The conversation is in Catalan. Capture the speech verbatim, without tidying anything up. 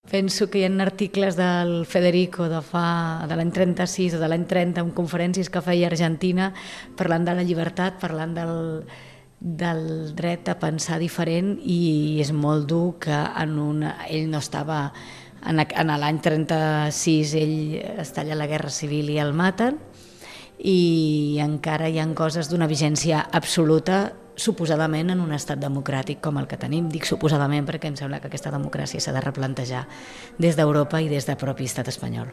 Penso que hi ha articles del Federico de fa de l'any trenta-sis o de l'any trenta en conferències que feia a Argentina parlant de la llibertat, parlant del, del dret a pensar diferent, i és molt dur que en una, ell no estava en, en l'any trenta-sis, ell es talla la guerra civil i el maten, i encara hi ha coses d'una vigència absoluta suposadament en un estat democràtic com el que tenim. Dic suposadament perquè em sembla que aquesta democràcia s'ha de replantejar des d'Europa i des del propi estat espanyol.